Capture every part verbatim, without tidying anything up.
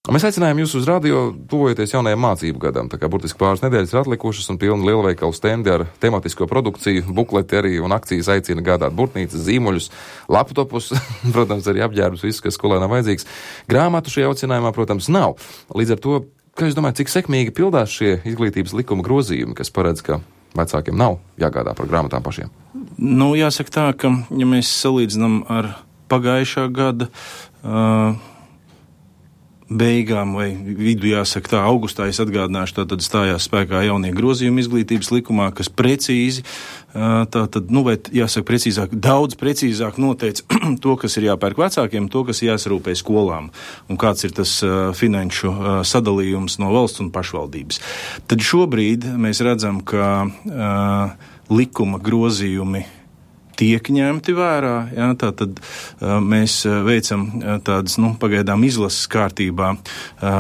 Mēs aicinājām jūs uz radio, tuvojoties jaunajam mācību gadam, tā kā burtiski pāris nedēļas ir atlikušas un pilni lielveikalu stendi ar tematisko produkciju, bukleti arī un akcijas aicina gādāt burtnīcas, zīmuļus, laptopus, protams, arī apģērbus, viss, kas skolēnam vajadzīgs. Grāmatu šajā aicinājumā, protams, nav. Līdz ar to, kā jūs domājat, cik sekmīgi pildās šie izglītības likuma grozījumi, kas paredz, ka vecākiem nav jāgādā par grāmatām pašiem? Nu, jāsaka tā, ka, ja mēs salīdzinām ar pagājušā gada uh, beigām vai vidu, jāsaka tā, augustā, es atgādināšu, tā tad stājās spēkā jaunie grozījumi izglītības likumā, kas precīzi, tā tad, nu, vai jāsaka precīzāk, daudz precīzāk noteica to, kas ir jāpērk vecākiem, to, kas jāsarūpē skolām, un kāds ir tas uh, finanšu uh, sadalījums no valsts un pašvaldības. Tad šobrīd mēs redzam, ka uh, likuma grozījumi tiek ņemti vērā, jā, tā tad uh, mēs veicam uh, tādas, nu, pagaidām izlases kārtībā uh,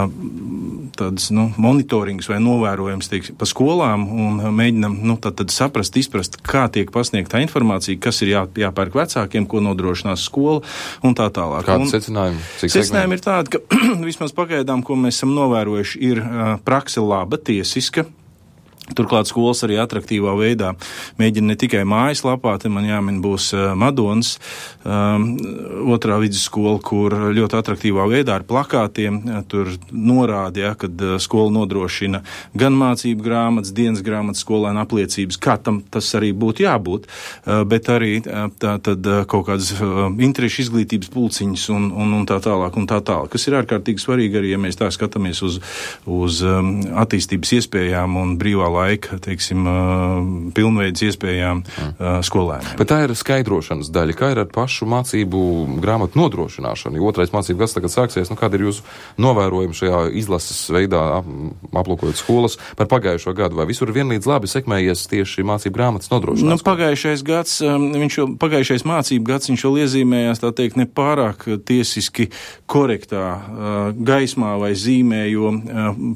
tādas, nu, monitorings vai novērojums, teiksim, pa skolām un uh, mēģinam, nu, tā tad saprast, izprast, kā tiek pasniegta informācija, kas ir jā, jāpērk vecākiem, ko nodrošinās skola un tā tālāk. Kādi secinājumi? Secinājumi ir tādi, ka vismaz pagaidām, ko mēs esam novērojuši, ir uh, prakse laba, tiesiska. Turklāt skolas arī atraktīvā veidā mēģina ne tikai mājaslapā, te man jāmin būs uh, Madonas um, otrā vidusskola, kur ļoti atraktīvā veidā ar plakātiem uh, tur norāda, ja, kad uh, skola nodrošina gan mācību grāmatas, dienas grāmatas, skolēnu apliecības, kā tam tas arī būtu jābūt, uh, bet arī uh, tā tad uh, kaut kādas uh, interešu izglītības pulciņas un, un, un tā tālāk un tā tālāk, kas ir ārkārtīgi svarīgi arī, ja mēs tā skatāmies uz, uz um, attīstības iespējām un brīvā laika, teiksim, pilnveidas iespējām mm. skolēniem. Bet tā ir skaidrošanas daļa. Kā ir ar pašu mācību grāmatu nodrošināšanu? Jo otrais mācību gads tagad sāksies. Nu, kāda ir jūsu novērojuma šajā izlases veidā, ap, aplūkojot skolas par pagājušo gadu? Vai visur vienlīdz labi sekmējies tieši mācību grāmatas nodrošināšana? Nu, pagājušais gads, viņš jau, pagājušais mācību gads, viņš jau iezīmējās, tā teikt, nepārāk tiesiski korektā gaismā vai zīmē, jo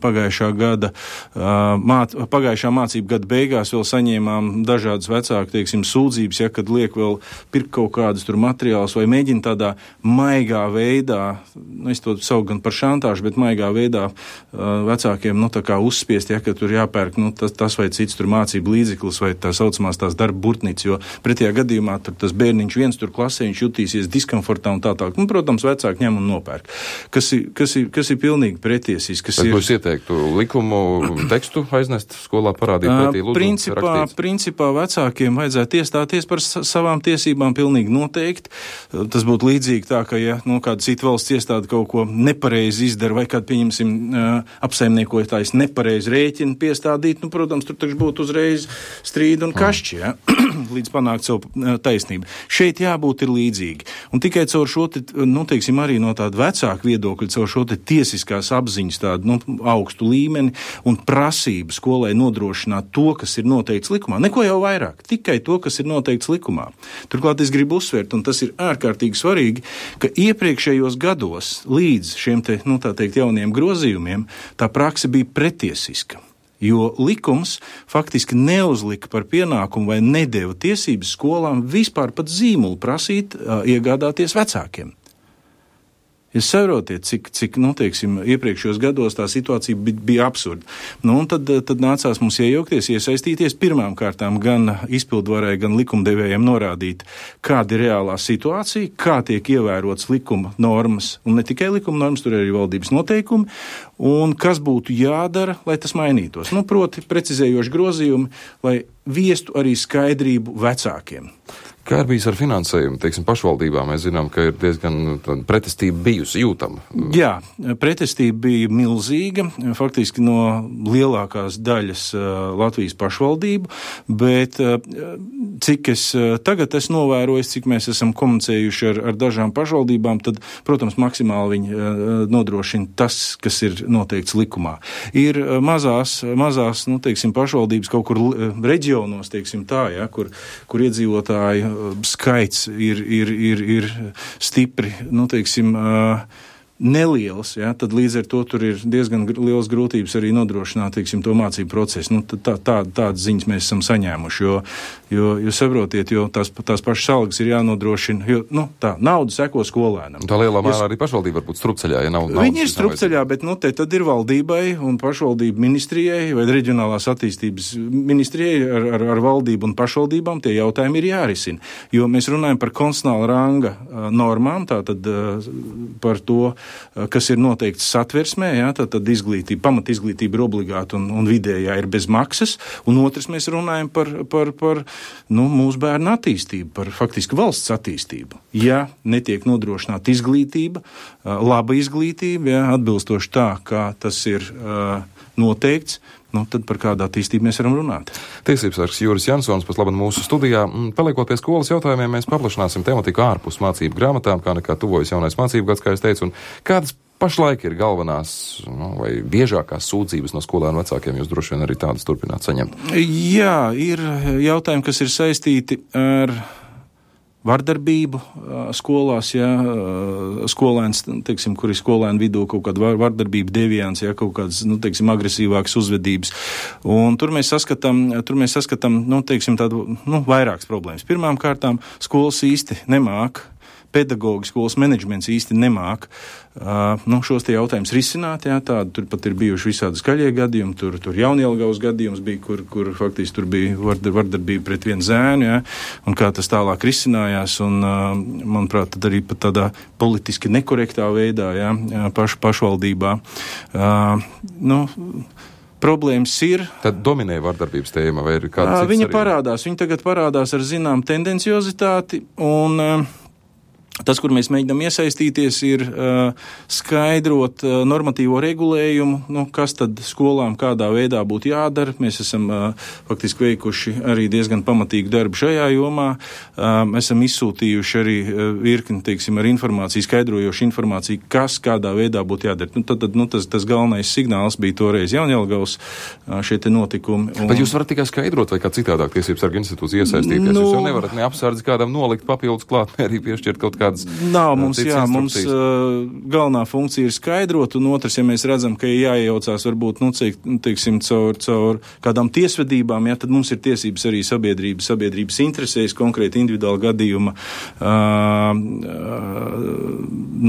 pagājušā gada māt, pagājušā mācību gada beigās vēl saņēmām dažādas vecāku, teiksim, sūdzības, ja, kad liek vēl pirkt kaut kādus tur materiālus vai mēģina tādā maigā veidā, nu, es to saucu gan par šantāžu, bet maigā veidā uh, vecākiem, nu, tā kā uzspiest, ja, ka tur jāpērk, nu, tas, tas vai cits tur mācību līdzeklis vai tā saucamās tās darba burtnīcas, jo pretējā gadījumā tur tas bērniņš viens tur klasē, viņš jutīsies diskomfortā un tā tālāk. Nu, protams, vecāki ņem un nopērk. Kas ir, kas ir, kas ir pilnīgi pretiesīs, kas bet ir... Jūs ieteiktu likumu tekstu aiznest skolā parādīt pretī, lūdzu, principā, principā vecākiem vajadzētu iestāties par savām tiesībām pilnīgi noteikti. Tas būtu līdzīgi tā, ka, ja, nu, kāda cita valsts iestāde kaut ko nepareizi izdara, vai kādu, pieņemsim, apsaimniekotājs nepareizi rēķinu piestādīt, nu, protams, tur taču būtu uzreiz strīdi un kašķi, ja, līdz panākt savu taisnību. Šeit jābūt ir līdzīgi. Un tikai caur šo, te, nu, teiksim, arī no tāda vecāka viedokļa, caur šo te tiesiskās apziņas tādu, nu, augstu līmeni un prasību skolai nodrošināt to, kas ir noteikts likumā. Neko jau vairāk, tikai to, kas ir noteikts likumā. Turklāt es gribu uzsvērt, un tas ir ārkārtīgi svarīgi, ka iepriekšējos gados līdz šiem te, nu, tā teikt, jauniem grozījumiem tā prakse bija pretiesiska. Jo likums faktiski neuzlika par pienākumu vai nedeva tiesības skolām vispār pat zīmulu prasīt, uh, iegādāties vecākiem. Jūs saprotiet, cik, cik, nu, teiksim, iepriekšējos gados tā situācija bija, bija absurda. Nu, un tad, tad nācās mums iejaukties, iesaistīties pirmām kārtām gan izpildvarai, gan likumdevējiem norādīt, kāda ir reālā situācija, kā tiek ievērots likuma normas, un ne tikai likuma normas, tur arī valdības noteikumi, un kas būtu jādara, lai tas mainītos. Nu, proti, precizējoši grozījumi, lai viestu arī skaidrību vecākiem. Kā ir bijis ar finansējumu, teiksim, pašvaldībām? Mēs zinām, ka ir diezgan pretestība bijusi jūtama. Jā, pretestība bija milzīga, faktiski no lielākās daļas uh, Latvijas pašvaldību, bet uh, cik es uh, tagad esmu novērojis, cik mēs esam komunicējuši ar, ar dažām pašvaldībām, tad, protams, maksimāli viņi uh, nodrošina tas, kas ir noteikts likumā. Ir uh, mazās, mazās, nu, teiksim, pašvaldības kaut kur uh, reģionos, teiksim tā, ja, kur, kur iedzīvotāji skaits ir, ir, ir, ir stipri, nu, teiksim, nelielas, ja, tad līdz ar to tur ir diezgan liels grūtības arī nodrošināt, teiksim, to mācību procesu. Nu, tā, tā, tādas ziņas mēs esam saņēmuši, jo, jo, jo saprotiet, jo tās, tās pašas algas ir jānodrošina, jo, nu, tā, nauda seko skolēnam. Tā lielā mērā arī pašvaldība var būt strupceļā, ja nav naudas. Viņi ir strupceļā, bet, nu, te tad ir valdībai un pašvaldību ministrijai vai reģionālās attīstības ministrijai ar, ar, ar valdību un pašvaldībām tie jautājumi ir jārisina. Jo mēs runājam par konstitucionāla ranga uh, normām, tātad uh, par to, kas ir noteikts satversmē, jā, tad, tad izglītība, pamat izglītība ir obligāta un, un vidējā ir bez maksas, un otrs mēs runājam par, par, par nu, mūsu bērnu attīstību, par faktiski valsts attīstību. Ja netiek nodrošināta izglītība, laba izglītība, jā, atbilstoši tā, kā tas ir uh, noteikts, nu, tad par kādu attīstību mēs varam runāt. Tiesības sargs Juris Jansons, pat labi mūsu studijā. Paliekot pie skolas jautājumiem, mēs paplašināsim tematiku ārpus mācību grāmatām, kā nekā tuvojas jaunais mācību gads, kā es teicu, un kādas pašlaik ir galvenās, nu, vai biežākās sūdzības no skolēnu vecākiem, jūs droši vien arī tādas turpināt saņemt? Jā, ir jautājumi, kas ir saistīti ar vardarbību skolās, ja, skolēns, teiksim, kur ir skolēnu vidū kaut kāda vardarbība, deviants, ja, kaut kādas, nu, teiksim, agresīvākas uzvedības. Un tur mēs saskatām, tur mēs saskatām, nu, teiksim, tādu, nu, vairākas problēmas. Pirmām kārtām skolas īsti nemāk, pedagogi, skolas menedžments īsti nemāk uh, nu, šos te jautājumus risināt, jā, tādi, tur pat ir bijuši visādi skaļie gadījumi, tur, tur Jaunjelgavas gadījums bija, kur, kur faktiski tur bija vardar, vardarbība pret vienu zēnu, jā, un kā tas tālāk risinājās, un, uh, manuprāt, tad arī pat tādā politiski nekorektā veidā, jā, paš, pašvaldībā. Uh, nu, Problēmas ir. Tad dominē vardarbības tēma vai ir kāda cits? Viņa arī? parādās, viņa tagad parādās ar zinām tendenciozitāti, un uh, tas, kur mēs mēģinām iesaistīties, ir uh, skaidrot uh, normatīvo regulējumu, nu, kas tad skolām kādā veidā būtu jādara. Mēs esam uh, faktiski veikuši arī diezgan pamatīgu darbu šajā jomā. Uh, mēs esam izsūtījuši arī uh, virkni, teiksim, ar informāciju, skaidrojošu informāciju, kas kādā veidā būtu jādara. Nu, tad, tad, nu, tas, tas galvenais signāls bija toreiz Jaunjelgavas uh, šie te notikumi. Un... Bet jūs varat tikai skaidrot, vai kā citādāk tiesības sarga institūcija iesaistīties? Nu... Jūs jau nevarat ne apsardzi kādam nolikt papildus klāt, ne arī piešķirt kaut kā Nav mums, jā, mums uh, galvenā funkcija ir skaidrot, un otrs, ja mēs redzam, ka ir jāiejaucās varbūt, nu, cik, teiksim, caur, caur kādām tiesvedībām, jā, tad mums ir tiesības arī sabiedrības, sabiedrības interesēs, konkrēti individuāla gadījuma, uh, uh,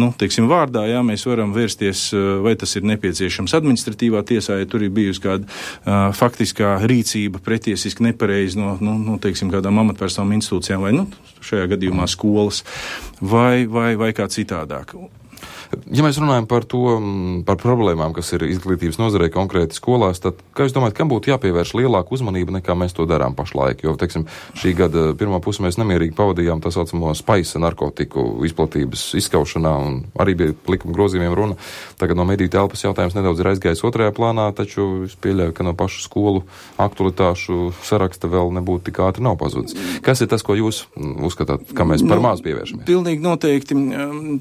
nu, teiksim, vārdā, jā, mēs varam vērsties, uh, vai tas ir nepieciešams administratīvā tiesā, ja tur ir bijusi kāda uh, faktiskā rīcība pretiesiski nepareizi no, nu, nu, teiksim, kādām amatpersonām institūcijām, vai, nu, šajā gadījumā skolas. Vai, vai, vai kā citādāk. Ja mēs runājam par to, par problēmām, kas ir izglītības nozarē konkrēti skolās, tad, kā jūs domājat, kam būtu jāpievērš lielāka uzmanība nekā mēs to darām pašlaik? Jo, teiksim, šī gada pirmā puse mēs nemierīgi pavadījām tā saucamo spaisa narkotiku izplatības izskaušanā, un arī bija likuma grozījumiem runa. Tagad no mediju telpas jautājums nedaudz ir aizgājis otrajā plānā, taču es pieļauju, ka no pašu skolu aktualitāšu saraksta vēl nebūtu tik ātri nav pazudis. Kas ir tas, ko jūs uzskatāt, kam mēs par maz pievēršamies? Pilnīgi noteikti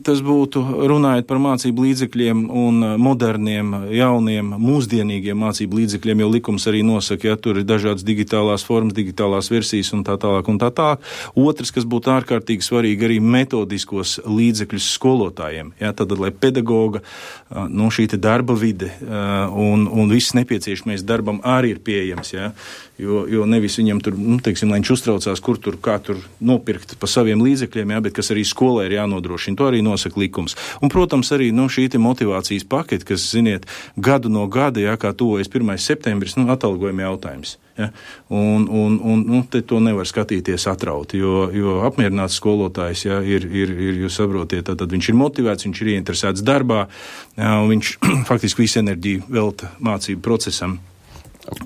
tas būtu runājot par mācību līdzekļiem un moderniem, jauniem, mūsdienīgiem mācību līdzekļiem, jo likums arī nosaka, ja tur ir dažādas digitālās formas, digitālās versijas un tā tālāk un tā tālāk. Otrs, kas būtu ārkārtīgi svarīgi, arī metodiskos līdzekļus skolotājiem. Ja, tad, lai pedagoga, nu, šī te darba vide un, un viss nepieciešamais darbam arī ir pieejams, ja, jo, jo nevis viņam tur, nu, teiksim, lai viņš uztraucās, kur tur, kā tur nopirkt pa saviem līdzekļiem, ja, bet kas arī skolai ir jānodrošina. To arī nosaka likums. Un, protams, arī, nu, šī te motivācijas paketi, kas, ziniet, gadu no gada, ja, kā tuvojas pirmais septembris, nu, atalgojuma jautājums. Ja? Un, un, un, nu, te to nevar skatīties atrauti, jo, jo apmierināts skolotājs, ja, ir, ir, ir, jūs saprotiet, tad, tad viņš ir motivēts, viņš ir ieinteresēts darbā, ja, un viņš faktiski visu enerģiju velta mācību procesam.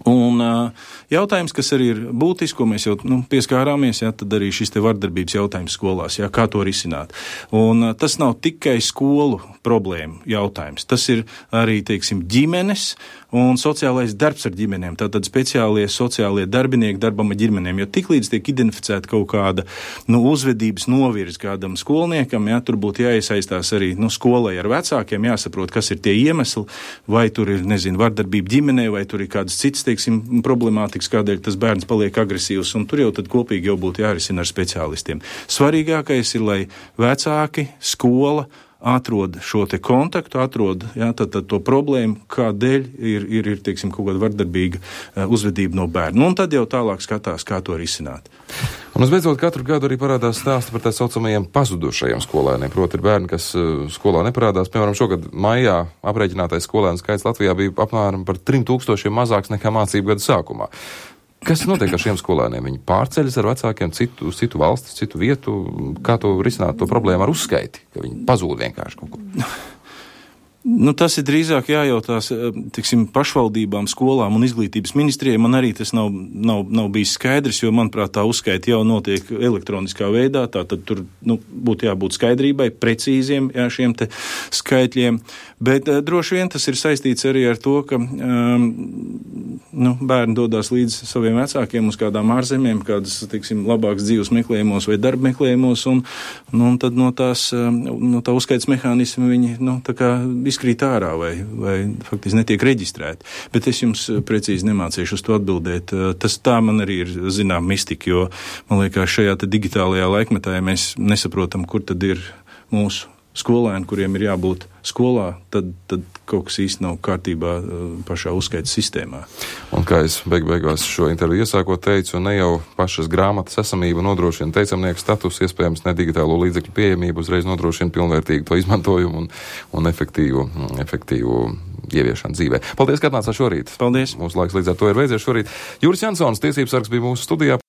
Un uh, jautājums, kas arī ir būtisks, ko mēs jau, nu, pieskārāmies, ja, tad arī šis te vardarbības jautājums skolās, ja, kā to risināt. Un uh, tas nav tikai skolu problēma jautājums, tas ir arī, teiksim, ģimenes un sociālais darbs ar ģimenēm, tātad speciālie sociālie darbinieki darbam ar ģimenēm, jo tiklīdz tiek identificēta kaut kāda, nu, uzvedības novirz kādam skolniekam, ja, tur būtu jāiesaistās arī, nu, skolai ar vecākiem, jāsaprot, kas ir tie iemesli, vai tur ir, nezinu, vardarbība ģimenē, vai tur ir kādas cits, teiksim, problemātikas, kādēļ tas bērns paliek agresīvs, un tur jau tad kopīgi jau būtu jārisina ar speciālistiem. Svarīgākais ir, lai vecāki, skola, atrod šo te kontaktu, atrod jā, tad, tad to problēmu, kādēļ ir, ir, ir teiksim, kaut kāda vardarbīga uh, uzvedība no bērna. Nu, un tad jau tālāk skatās, kā to risināt. Un visbeidzot, katru gadu arī parādās stāsti par tā saucamajiem pazudušajiem skolēniem. Proti ir bērni, kas uh, skolā neparādās. Piemēram, šogad maijā aprēķinātais skolēnu skaits Latvijā bija apmēram par trim tūkstošiem mazāks nekā mācību gada sākumā. Kas notiek ar šiem skolēniem? Viņi pārceļas ar vecākiem citu, citu valsti, citu vietu. Kā to risināt to problēmu ar uzskaiti, ka viņi pazūd vienkārši kaut ko? Nu, tas ir drīzāk jājautās, tiksim, pašvaldībām, skolām un izglītības ministrijai. Man arī tas nav, nav, nav bijis skaidrs, jo, manuprāt, tā uzskaita jau notiek elektroniskā veidā, tā tad tur, nu, būtu jābūt skaidrībai, precīziem, jā, šiem te skaitļiem, bet uh, droši vien tas ir saistīts arī ar to, ka, um, nu, bērni dodās līdz saviem vecākiem uz kādām ārzemēm, kādas, tiksim, labākas dzīves meklējumos vai darba meklējumos, un, nu, un tad no tās, no tā uzskaitas mehānismi viņi, nu, tā kā izkrīt ārā vai, vai faktiski netiek reģistrēti. Bet es jums precīzi nemācīšu uz to atbildēt. Tas tā man arī ir zinām mistika, jo man liekas šajā te digitālajā laikmetā, ja mēs nesaprotam, kur tad ir mūsu skolēni, kuriem ir jābūt skolā, tad, tad kaut kas īsti nav kārtībā pašā uzskaitas sistēmā. Un kā es beig beigās šo interviju iesākot teicu, ne jau pašas grāmatas esamība nodrošina teicamnieku status, iespējams ne digitālo līdzekļu pieejamību, uzreiz nodrošina pilnvērtīgu to izmantojumu un, un efektīvu, efektīvu ieviešanu dzīvē. Paldies, ka atnācāt šorīt. Paldies. Mūsu laiks līdz ar to ir beidzies šorīt. Juris Jansons, tiesības sargs, bija mūsu studijā.